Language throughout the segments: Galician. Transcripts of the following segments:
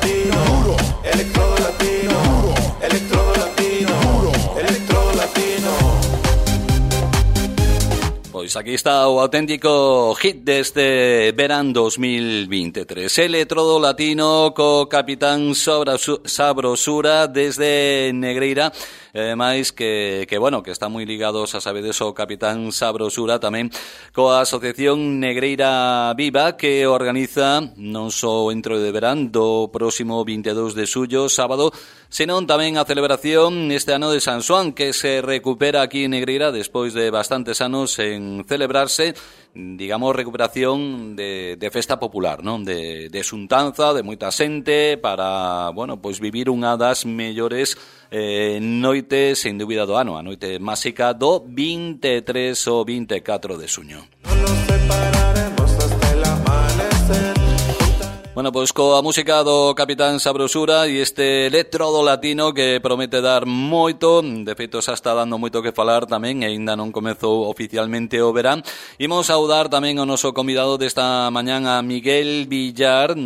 latino, electrodo latino, electrodo latino, electrodo latino. Pois aquí está o auténtico hit deste verán 2023. Electrodo latino co Capitán Sabrosura desde Negreira. Máis que bueno, que está moi ligados a sabedes o Capitán Sabrosura tamén coa Asociación Negreira Viva, que organiza non só o Entro de Verán do próximo 22 de xullo, sábado, senón tamén a celebración este ano de San Xoán, que se recupera aquí en Negreira despois de bastantes anos en celebrarse, digamos, recuperación de festa popular, non? De xuntanza, de moita xente para, bueno, pois vivir unha das mellores noites, sen dúbida, do ano, a noite máxica do 23 ou 24 de xuño. No nos separaremos hasta el amanecer. Bueno, pois coa música do Capitán Sabrosura e este electrodo latino que promete dar moito, de feito xa está dando moito que falar tamén, e aínda non comezou oficialmente o verán. Imos saudar tamén ao noso convidado desta mañán, a Miguel Villar,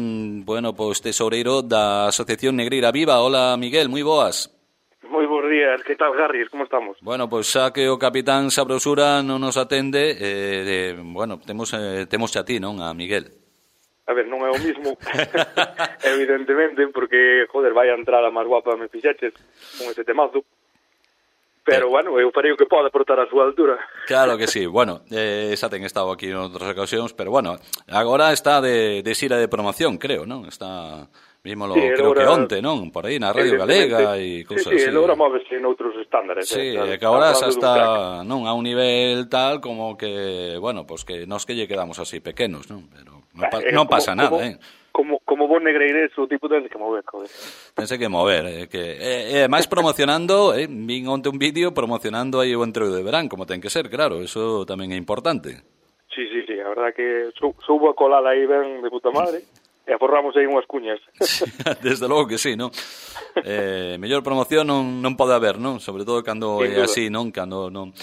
bueno, pois tesoureiro da Asociación Negreira Viva. Hola, Miguel, moi boas. Moi bons días, que tal, Garris, como estamos? Bueno, pois xa que o Capitán Sabrosura non nos atende, bueno, temos xa ti, non, a Miguel? A ver, non é o mismo, evidentemente, porque, joder, vai a entrar a máis guapa me fixeches con ese temazo. Pero, bueno, eu farei o que poda por estar a súa altura. Claro que sí, bueno, xa ten estado aquí en outras ocasións, pero, bueno, agora está de xira de promoción, creo, non? Está... Mismo Sí, creo ahora, que onte, non? Por aí na Radio Galega e cousas así. Sí, ele agora móvese noutros estándares. Sí, que agora xa está, non, a un nivel tal como que, bueno, pues que nos que lle quedamos así pequenos, non? Pero non pasa nada, Como bon negreires, o tipo tense que mover, joder. Tense que mover, que máis promocionando, vin onte un vídeo promocionando aí o Entro de Verán, como ten que ser, claro, eso tamén é importante. Sí, a verdad que soubo a colada aí ben de puta madre. E aforramos aí unhas cuñas. Desde logo que sí, non? Mellor promoción non pode haber, non? Sobre todo cando é así, non? Cando non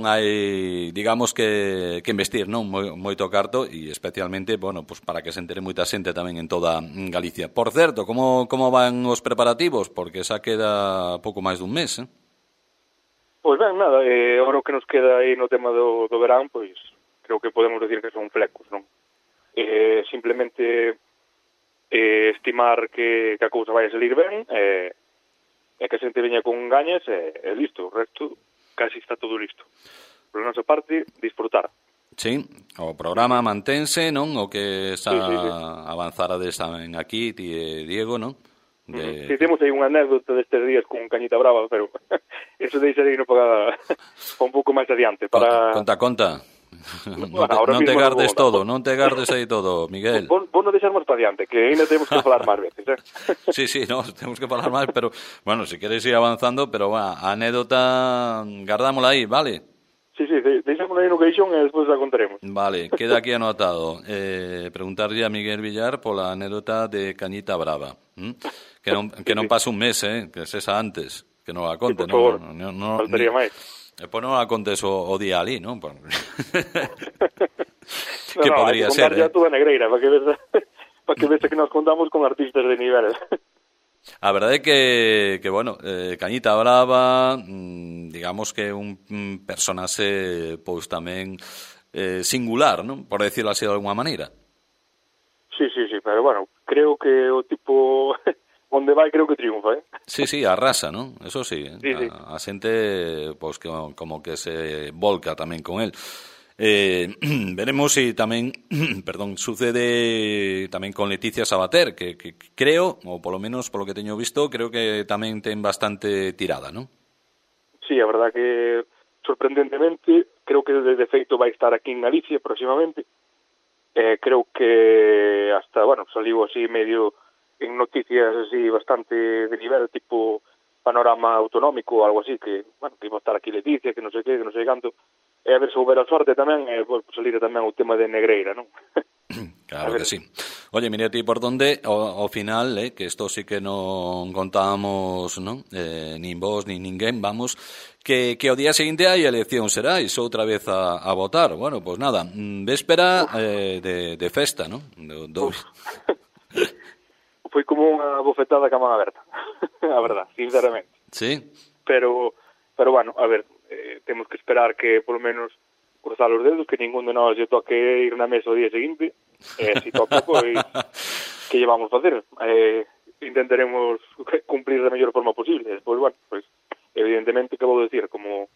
hai, digamos, que investir, non? Moito carto, e especialmente, bueno, pues para que se entere moita xente tamén en toda Galicia. Por certo, como van os preparativos? Porque xa queda pouco máis dun mes, Pois ben, nada, agora o que nos queda aí no tema do verán, pois creo que podemos decir que son flecos, non? Simplemente... estimar que a cousa vai a salir ben e que a xente veña con gañas e listo, o resto casi está todo listo. Por nosa parte, disfrutar. Sí, o programa mantense, non? O que xa avanzarades tamén aquí, ti e Diego, non? Sí, temos aí unha anécdota destes días con Cañita Brava, pero eso deixarei no para un pouco máis adiante. Para... Conta. Bueno, non te gardes todo, non te gardes aí todo, Miguel. Vos non deixar máis para adiante, que ainda temos que falar máis veces, Sí, no, temos que falar máis, pero, bueno, se queres ir avanzando, pero, bueno, a anécdota, gardámola aí, vale? Sí, deixámola aí no queixón e despois a contaremos. Vale, queda aquí anotado. Preguntarlle a Miguel Villar pola anécdota de Cañita Brava. Que non pase un mes, que sexa antes, que non a conte, sí, por favor, non faltaría máis. E pois non a contes o día ali, non? Que hai podría que ser, ya toda negreira, para que vese que nos contamos con artistas de nivel. A verdade é que bueno, Cañita Brava, digamos que é un personaxe pois tamén singular, non? Por decirlo así de alguma maneira. Sí, pero bueno, creo que o tipo... onde vai creo que triunfa, Sí, arrasa, non? Eso sí, sí. A xente pois que como que se volca tamén con el. Veremos si tamén, sucede tamén con Leticia Sabater, que creo, ou polo menos polo que teño visto, creo que tamén ten bastante tirada, non? Sí, a verdad que sorprendentemente creo que de feito vai estar aquí en Galicia próximamente. Creo que hasta, bueno, saliu así medio en noticias así bastante de nivel, tipo Panorama Autonómico ou algo así, que, bueno, que iba a estar aquí Leticia, que non sei que non sei canto, e a ver se houber a sorte tamén, pues, salir tamén o tema de Negreira, non? Claro que sí. Oye, mira ti por donde, ao final, que isto sí que non contábamos, non? Nin vos, nin ninguén, vamos, que o día seguinte hai elección serais outra vez a votar. Bueno, pues nada, véspera de festa, non? foi como unha bofetada ca man aberta, a verdad, sinceramente. Sí? Pero bueno, a ver, temos que esperar que, polo menos, cruzar os dedos, que ningún de nós lle toque ir na mesa o día seguinte, se toca, pois, que lle vamos facer? Intentaremos cumplir da mellor forma posible. Despois, bueno, pois, evidentemente, que vou decir, como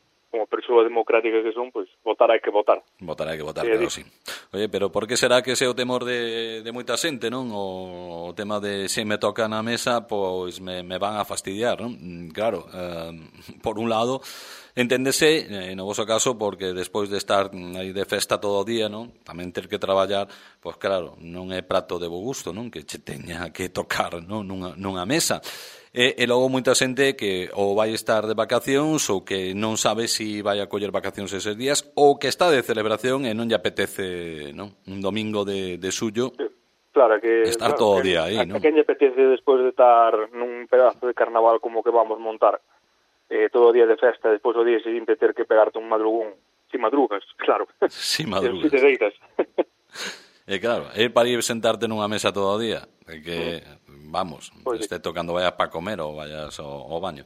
persoa democrática que son, pois, votar hai que votar. Votar hai que votar, claro, sí. Oye, pero por que será que ese é o temor de moita xente, non? O tema de se me toca na mesa, pois me van a fastidiar, non? Claro, por un lado, enténdese, no voso caso, porque despois de estar aí de festa todo o día, non? Tamén ter que traballar, pois claro, non é prato de bo gusto, non? Que che teña que tocar, non? Nunha mesa. E logo moita xente que ou vai estar de vacacións ou que non sabe se vai a coller vacacións eses días ou que está de celebración e non lle apetece, non? Un domingo de suyo. Claro, que estar todo o día aí, non? A quen lle apetece despois de estar nun pedazo de carnaval como que vamos montar todo o día de festa, despois o día seguinte ter que pegarte un madrugón, si madrugas, claro. Si madrugas. Si te deitas. E claro, é para ir sentarte nunha mesa todo o día, que, vamos, pues esté tocando vayas para comer ou vayas ao baño.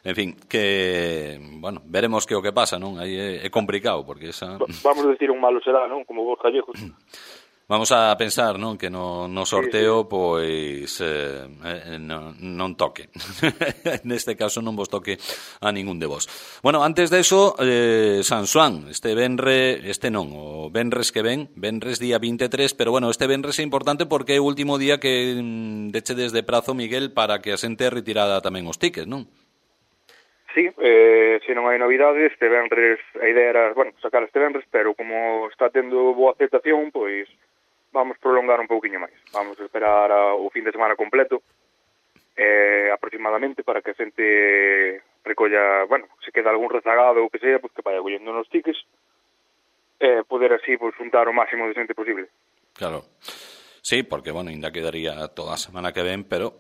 En fin, que, bueno, veremos que o que pasa, non? Aí é complicado, porque esa... Vamos a decir un malo será, non? Como vos gallegos. Vamos a pensar, non, que no sorteo, pois, non toque. Neste caso non vos toque a ningún de vos. Bueno, antes de eso, San Xoán, o venres que ven, venres día 23, pero bueno, este venres é importante porque é o último día que dechedes de prazo, Miguel, para que a xente retirada tamén os tickets, non? Sí, se non hai novidades, este venres, a idea era, bueno, sacar este venres, pero como está tendo boa aceptación, pois vamos prolongar un pouquiño máis. Vamos a esperar o fin de semana completo, aproximadamente, para que a xente recolla, bueno, se queda algún rezagado ou que sea, pues que vaya collendo nos tickets, poder así, pues, juntar o máximo de xente posible. Claro. Sí, porque, bueno, ainda quedaría toda a semana que ven, pero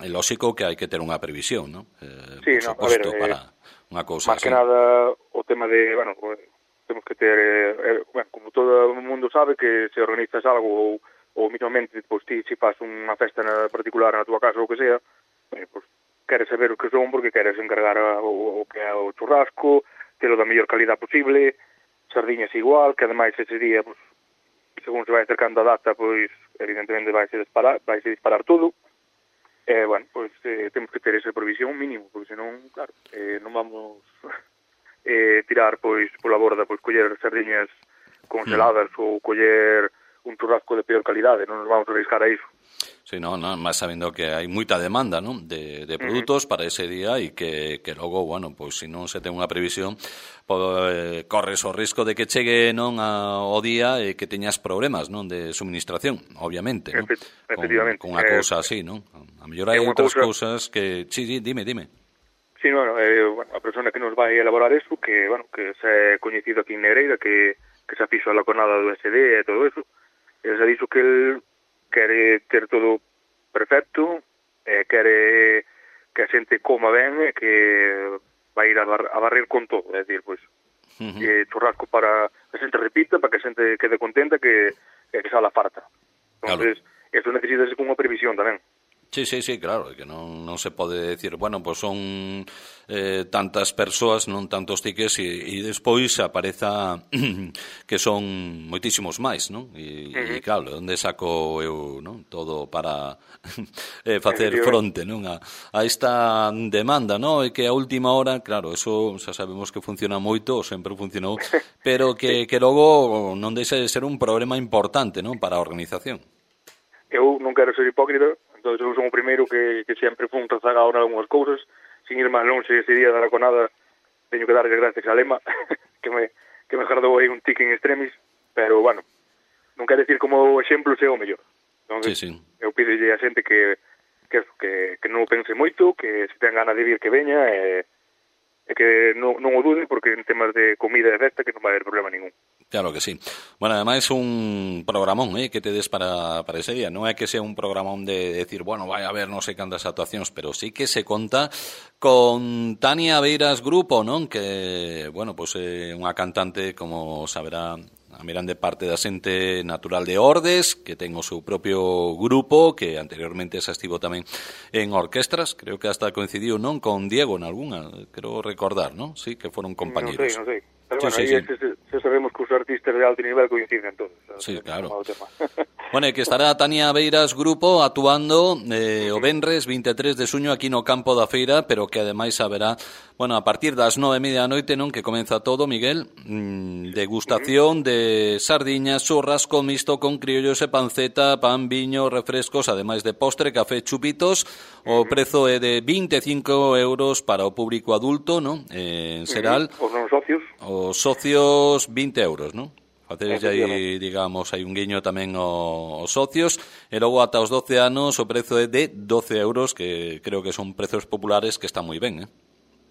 é lógico que hai que ter unha previsión, non? Sí, no, a ver, para unha cousa máis que nada, o tema de, bueno, temos que ter, bueno, como todo o mundo sabe, que se organizas algo ou mismamente, pois, ti, se faz unha festa particular na tua casa ou que sea, pois, queres saber o que son porque queres encargar o que é o churrasco, telo da mellor calidad posible, sardiñas igual, que ademais ese día, pois, según se vai acercando a data, pois, evidentemente vai se disparar todo. Bueno, pois temos que ter esa provisión mínimo, porque senón, claro, non vamos tirar, pois, pola borda, pois, coller sardiñas congeladas ou coller un churrasco de peor calidade, non nos vamos a arriscar a iso. Sí, no, máis sabendo que hai moita demanda, non, de produtos para ese día e que logo, bueno, pois se non se ten unha previsión, pois, corres o risco de que chegue, non, ao día e que teñas problemas, non, de suministración, obviamente, non? Efectivamente. Con unha cousa así, non? A mellor hai outras cousas que... Sí, dime. Sí, bueno, a persona que nos vai elaborar eso, que, bueno, que se é coñecido aquí en Negreira, que se afixo a la conada do SD e todo eso, e se dixo que el quere ter todo perfecto, quere que a xente coma ben e que vai ir a barrer con todo, é dicir, pois, churrasco para que a xente repita, para que a xente quede contenta, que sala farta. Entonces, eso necesita con unha previsión tamén. Sí, claro, que non se pode decir, bueno, pois son tantas persoas, non tantos tickets e despois apareza que son moitísimos máis, non? E claro, onde saco eu, non? Todo para facer fronte, non? A esta demanda, non? E que a última hora, claro, eso xa sabemos que funciona moito, sempre funcionou, pero que logo non deixa de ser un problema importante, non? Para a organización. Eu non quero ser hipócrita, entón eu son o primeiro que sempre fun rezagado en algunhas cousas, sin ir máis longe ese día da Raconada, teño que darlle gracias a Lema, que me jardou aí un tic en extremis, pero, bueno, non quero decir como o exemplo sea o mellor. Entón, sí. Eu pídelle a xente que non o pense moito, que se ten ganas de vir que veña, e que non o dude, porque en temas de comida e festa que non vai haber problema ningún. Claro que sí. Bueno, ademais un programón que te des para ese día. Non é que sea un programón de decir, bueno, vai a haber non sei cantas actuacións, pero sí que se conta con Tania Beiras Grupo, non? Que, bueno, pois é unha cantante, como saberá a mirande parte da xente natural de Ordes, que ten o seu propio grupo, que anteriormente xa estivo tamén en orquestras, creo que hasta coincidiu, non, con Diego en algunha, creo recordar, non? Sí, que foron compañeros. Non sei. Pero Sí, bueno, sí, aí sí. se sabemos que os artistas de alto nivel coinciden todos. Sí, claro. Tema. Bueno, e que estará Tania Beiras Grupo actuando o venres 23 de xuño aquí no campo da feira, pero que ademais haberá, bueno, a partir das 9:30 da noite, non, que comeza todo, Miguel, degustación de sardiñas, churrasco mixto con criollos e panceta, pan, viño, refrescos, ademais de postre, café, chupitos. O prezo é de 25 euros para o público adulto, non? En Seral. Os non socios. Os socios 20 euros, non? Facedes aí, digamos, hai un guiño tamén aos socios, e logo ata os 12 anos o prezo é de 12 euros, que creo que son prezos populares que están moi ben,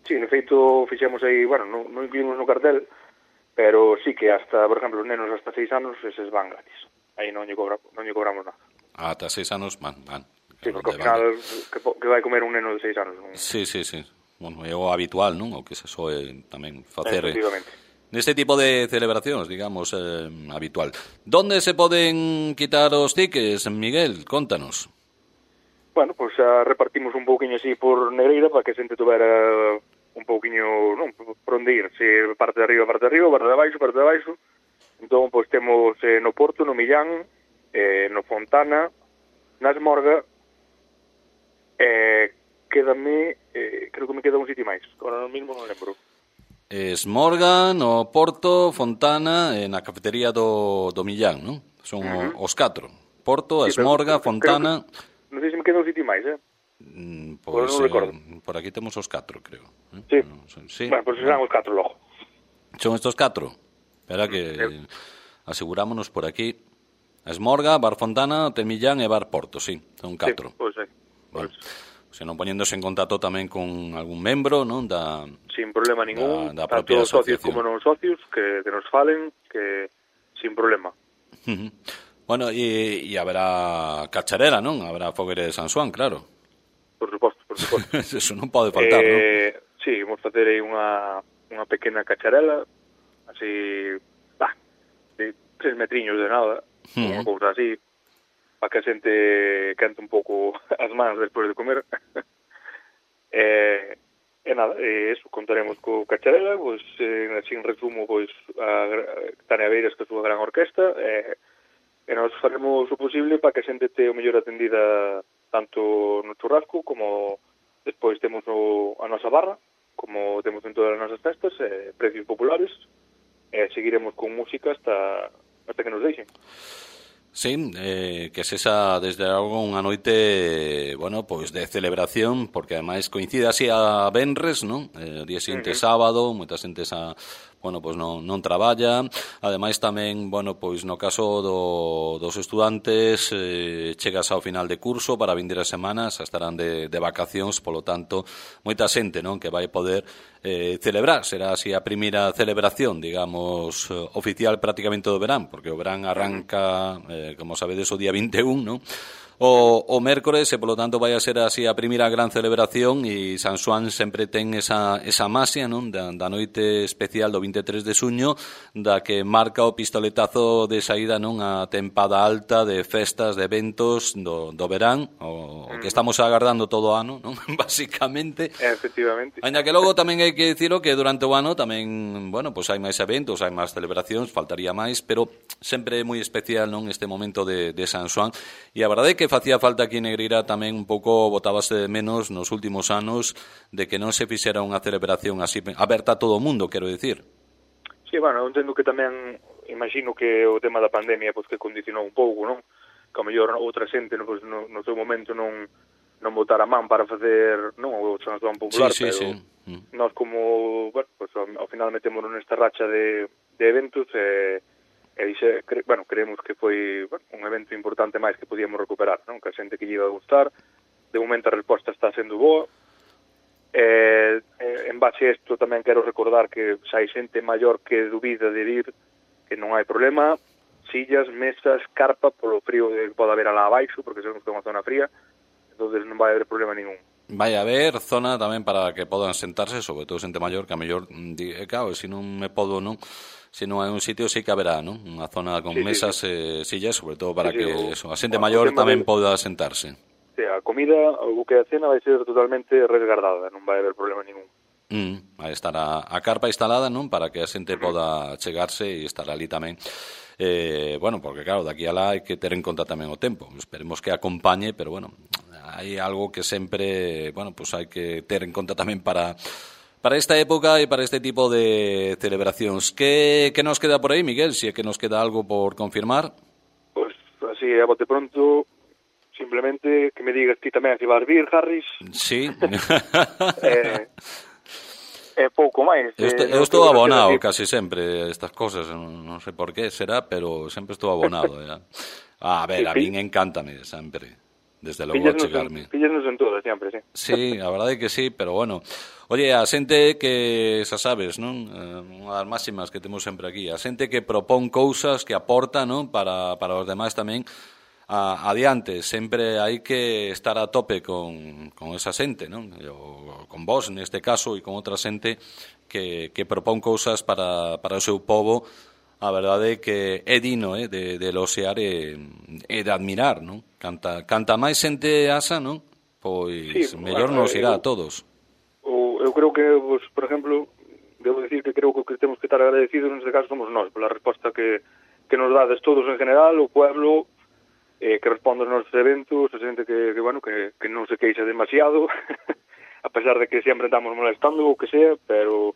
Sí, en feito fixemos aí, bueno, non incluímos no cartel, pero sí que hasta, por exemplo, os nenos hasta 6 anos, eses van gratis. Aí non lle cobramos nada. Ata 6 anos van. Sí, porque ao final, que vai comer un neno de 6 anos? Non? Sí. Bueno, é o habitual, non? O que se soe tamén facer Efectivamente. neste tipo de celebracións, digamos, habitual. Donde se poden quitar os tickets, Miguel? Contanos. Bueno, pois xa repartimos un pouquiño así por Negreira para que a xente tuvera un pouquiño, non, por onde ir, se parte de arriba, parte de abaixo. Entón, pois temos no Porto, no Millán, no Fontana, na Esmorga, quédame, creo que me queda un sitio máis, agora mesmo non lembro. Esmorga, no Porto, Fontana e na cafetería do Millán, non? Son os 4. Porto, Esmorga, Fontana... Non sei se me queda un sitio máis, Pois, non recordo. Por aquí temos os 4, creo. Sí. Sí. Bueno, pois serán os 4 logo. Son estos 4? Espera que asegurámonos por aquí. Esmorga, Bar Fontana, Hotel Millán e Bar Porto, sí. Son 4. Sí, pois sí. Bueno, se non poñéndose en contacto tamén con algún membro, non, da sin problema ningún, da tanto propia socios asociación. como non socios, que nos falen, que sin problema. Bueno, e haberá cacharera, non? Habrá fogueira de San Xoán, claro. Por suposto. Eso non pode faltar, non? Sí, vamos facer aí unha pequena cacharela, así, de 3 metriños de nada, unha cousa así, para que a xente cante un pouco as mans despois de comer. E nada, eso, contaremos co Cacharela, pois, así en resumo, pois, a Tania Beiras, que é a súa gran orquesta, e nós faremos o posible para que a xente te o mellor atendida tanto no churrasco, como despois temos a nosa barra, como temos en todas as nosas festas, precios populares, e seguiremos con música hasta que nos deixen. Sí, que sexa desde algo unha noite, bueno, pois de celebración, porque ademais coincide así a venres, non? O día seguinte sábado, moita xente bueno, pois non traballa. Ademais tamén, bueno, pois no caso dos estudantes, chegas ao final de curso para vindir as semanas, estarán de vacacións, polo tanto, moita xente, non, que vai poder celebrar, será así a primeira celebración, digamos, oficial prácticamente do verán, porque o verán arranca, como sabedes, o día 21, non? O mércores, e polo tanto vai a ser así a primeira gran celebración, e San Xoán sempre ten esa maxia, non, da noite especial do 23 de xuño, da que marca o pistoletazo de saída, non, a tempada alta de festas, de eventos do verán, o que estamos agardando todo o ano, non, basicamente. Efectivamente. Ainda que logo tamén hai que dicilo que durante o ano tamén, bueno, pois hai máis eventos, hai máis celebracións, faltaría máis, pero sempre é moi especial, non, este momento de San Xoán, e a verdade é que facía falta aquí en Negreira tamén un pouco botábase de menos nos últimos anos de que non se fixera unha celebración así aberta a todo o mundo, quero dicir. Sí, bueno, entendo que tamén imagino que o tema da pandemia pois que condicionou un pouco, non? Que ao mellor outra xente pois, no seu momento non botar a man para facer, non, o San Xoán popular, sí, pero sí. Nós como, bueno, pois ao final metémonos nesta racha de eventos creemos que foi un evento importante máis que podíamos recuperar, non? Que a xente que lle iba a gustar, de momento a resposta está sendo boa. En base a isto tamén quero recordar que xa hai xente maior que dubida de ir, que non hai problema, sillas, mesas, carpa, polo frío que pode haber alá abaixo, porque sabemos que é unha zona fría, entonces non vai haber problema ningún. vai haber zona tamén para que podan sentarse, sobre todo xente maior, que a mellor, claro, se non me podo, non, se non hai un sitio, sí que haberá, non? Unha zona con mesas e sillas, sobre todo para que eso, a xente maior tamén poda sentarse. Sí, a comida, o que a cena vai ser totalmente resguardada, non vai haber problema ningún. Vai estar a carpa instalada, non? Para que a xente poda chegarse e estar ali tamén. Bueno, porque claro, daqui a lá hai que ter en conta tamén o tempo. Esperemos que acompañe, pero bueno, hai algo que sempre, bueno, pues hai que ter en conta tamén para esta época e para este tipo de celebracións. Que nos queda por aí, Miguel? Si é que nos queda algo por confirmar. Pois, así, a bote pronto, simplemente que me digas ti tamén se vas vir, Harris. Sí. É pouco máis. Eu estou abonado casi sempre a estas cosas, non sei por qué será, pero sempre estou abonado. A ver, a min encántame sempre, desde logo chegarme. Pillasnos en todo, sempre, sí. Sí, a verdade é que sí, pero bueno. Oye, a xente que, xa sabes, non? Unha das máximas que temos sempre aquí, a xente que propón cousas, que aporta, non? Para os demais tamén, adiante, sempre hai que estar a tope con esa xente, non? Con vos, neste caso, e con outra xente que propón cousas para o seu povo. A verdade é que é digno de eloxear e de admirar, non? Canta máis xente asa, non? Pois sí, mellor nos irá a todos. Eu creo que, pues, por exemplo, debo decir que creo que o que temos que estar agradecidos neste caso somos nós, pola resposta que nos dades todos en general, o pueblo, que responde aos nosos eventos, a xente que non se queixa demasiado, a pesar de que sempre estamos molestando ou que sea, pero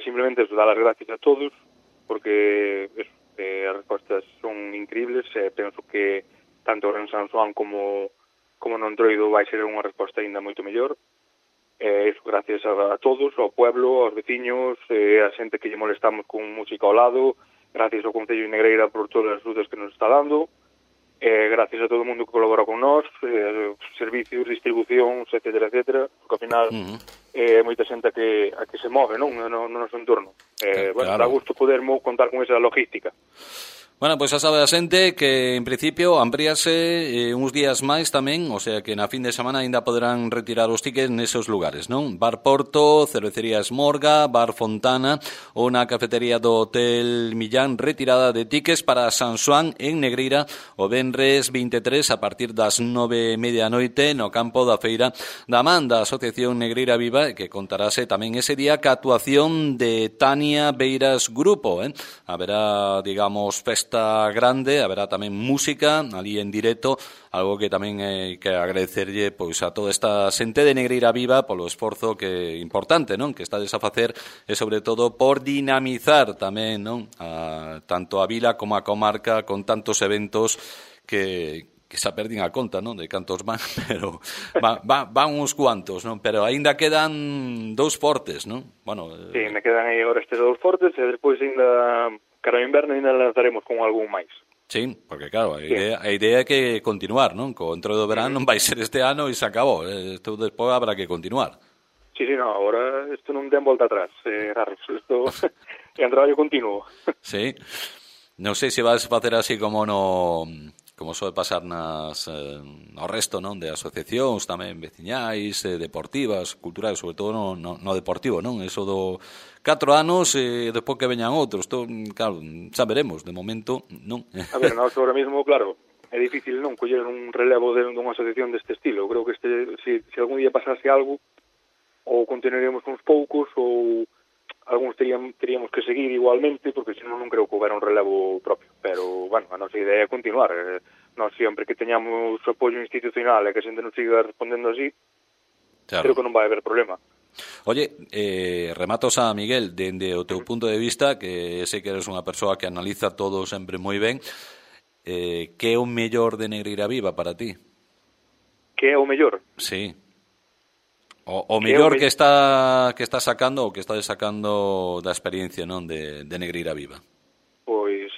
simplemente eso, dar as gracias a todos, porque as respostas son increíbles, penso que tanto en San Xoán como no Entroido vai ser unha resposta ainda moito mellor. Eso, gracias a todos, ao pueblo, aos veciños, a xente que lle molestamos con música ao lado, gracias ao Concello de Negreira por todas as axudas que nos está dando, gracias a todo o mundo que colabora con nós, servicios, distribucións, etcétera, porque ao final é moita xente a que se move, non, no noso entorno. Bueno, claro. Dá gusto poder contar con esa logística. Bueno, pois xa sabe a xente que en principio amplíase uns días máis tamén, o sea que na fin de semana ainda poderán retirar os tickets nesos lugares, non? Bar Porto, Cervecería Esmorga, Bar Fontana ou na cafetería do Hotel Millán, retirada de tickets para San Xoán en Negreira o venres 23 a partir das 9:30 da noite no campo da Feira da Man da Asociación Negreira Viva, que contarase tamén ese día ca actuación de Tania Beiras Grupo, Haberá, digamos, festa grande, haberá tamén música ali en directo, algo que tamén hai que agradecerlle pois a toda esta xente de Negreira Viva polo esforzo que importante, non, que estades a facer e sobre todo por dinamizar tamén, non, tanto a vila como a comarca con tantos eventos que xa perdín a conta, non, de cantos van, pero van uns cuantos, non, pero aínda quedan dous fortes, non? Bueno, sí, me quedan aí agora estes dous fortes e despois ainda cara ao inverno ainda lanzaremos con algún máis. Sí, porque claro, a idea é que continuar, non? Co entrou do verán non vai ser este ano e se acabou, isto despois habrá que continuar. Sí, no, agora isto non ten volta atrás, Harris, isto é un traballo continuo. Sí, non sei se vas facer así como soe pasar no resto, non, de asociacións tamén veciñais, deportivas, culturais, sobre todo no deportivo, non? Eso do 4 anos e despois que veñan outros, claro, xa veremos, de momento, non. A ver, nós ahora mismo, claro, é difícil non coller un relevo dunha asociación deste estilo. Eu creo que se algún día pasase algo, ou continuaríamos uns poucos, ou algúns teríamos que seguir igualmente, porque senón non creo que houbera un relevo propio. Pero, bueno, a nosa idea é continuar. Nós sempre que teñamos apoio institucional e que a xente nos siga respondendo así, claro, creo que non vai haber problema. Oye, rematos a Miguel, dende o teu punto de vista, que sei que eres unha persoa que analiza todo sempre moi ben, que é o mellor de Negreira Viva para ti? Que é o mellor? Sí. O mellor que está sacando ou que está sacando da experiencia, non, de Negreira Viva. Pois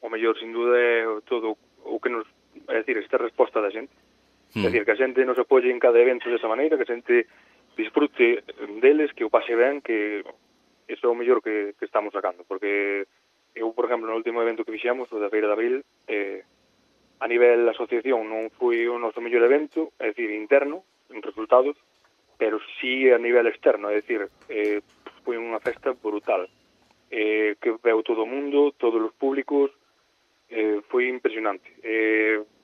o mellor sin duda é todo o que nos, é dicir, esta resposta da xente. É dicir, que a xente nos apoie en cada evento desa maneira, que a xente disfrute deles, que o pase ben, que iso é o mellor que estamos sacando, porque eu, por exemplo, no último evento que fixemos, o da Feira de Abril, a nivel asociación non foi o noso mellor evento, é dicir, interno, en resultados, pero sí a nivel externo, é dicir, foi unha festa brutal, que veu todo o mundo, todos os públicos, foi impresionante.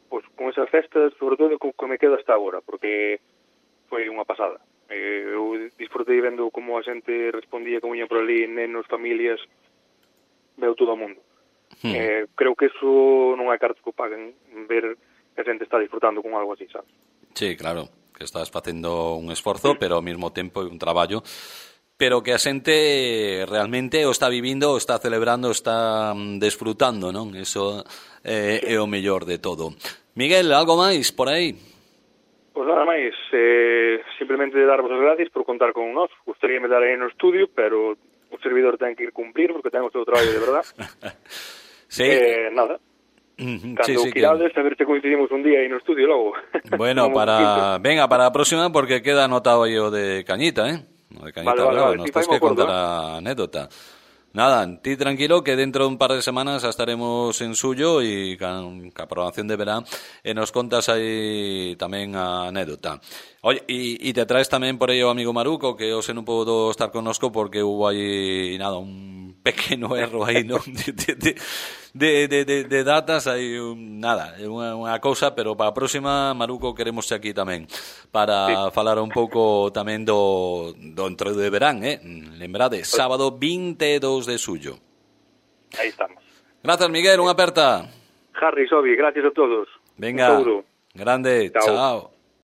Pois con esas festas, sobre todo, que me quedo hasta agora, porque foi unha pasada. Eu disfrutei vendo como a xente respondía, como iña por ali, nenos, familias, veu todo o mundo. Creo que eso non hai cartas que o paguen, ver que a xente está disfrutando con algo así, sabes? Sí, claro, que estás facendo un esforzo, pero ao mesmo tempo é un traballo, pero que a xente realmente o está vivindo, o está celebrando, o está desfrutando, non? Eso é o mellor de todo. Miguel, algo máis por aí? Pois nada máis, simplemente darvos as gracias por contar con nós. Gustaríame dar aí no estudio, pero o servidor ten que ir cumplir porque ten o seu traballo de verdad. Sí. Nada. Cando quirades, a ver se coincidimos un día aí no estudio logo. Bueno, venga, para a próxima, porque queda anotado aí o de Cañita, O de Cañita, vale, nos tens que contar a anécdota. Nada, ti tranquilo que dentro de un par de semanas estaremos en suyo e ca programación de verán e nos contas aí tamén a anécdota. Oye, e te traes tamén por aí o amigo Maruco, que hoxe non podo estar connosco porque hubo aí, nada, un pequeno erro aí, non? De datas, aí nada, unha cousa, pero para a próxima, Maruco, queremos aquí tamén para falar un pouco tamén do entroido de verán, Lembrade, sábado 22 de suyo. Aí estamos. Grazas, Miguel, unha aperta. Harry, Sobi, gracias a todos. Venga, grande, chao.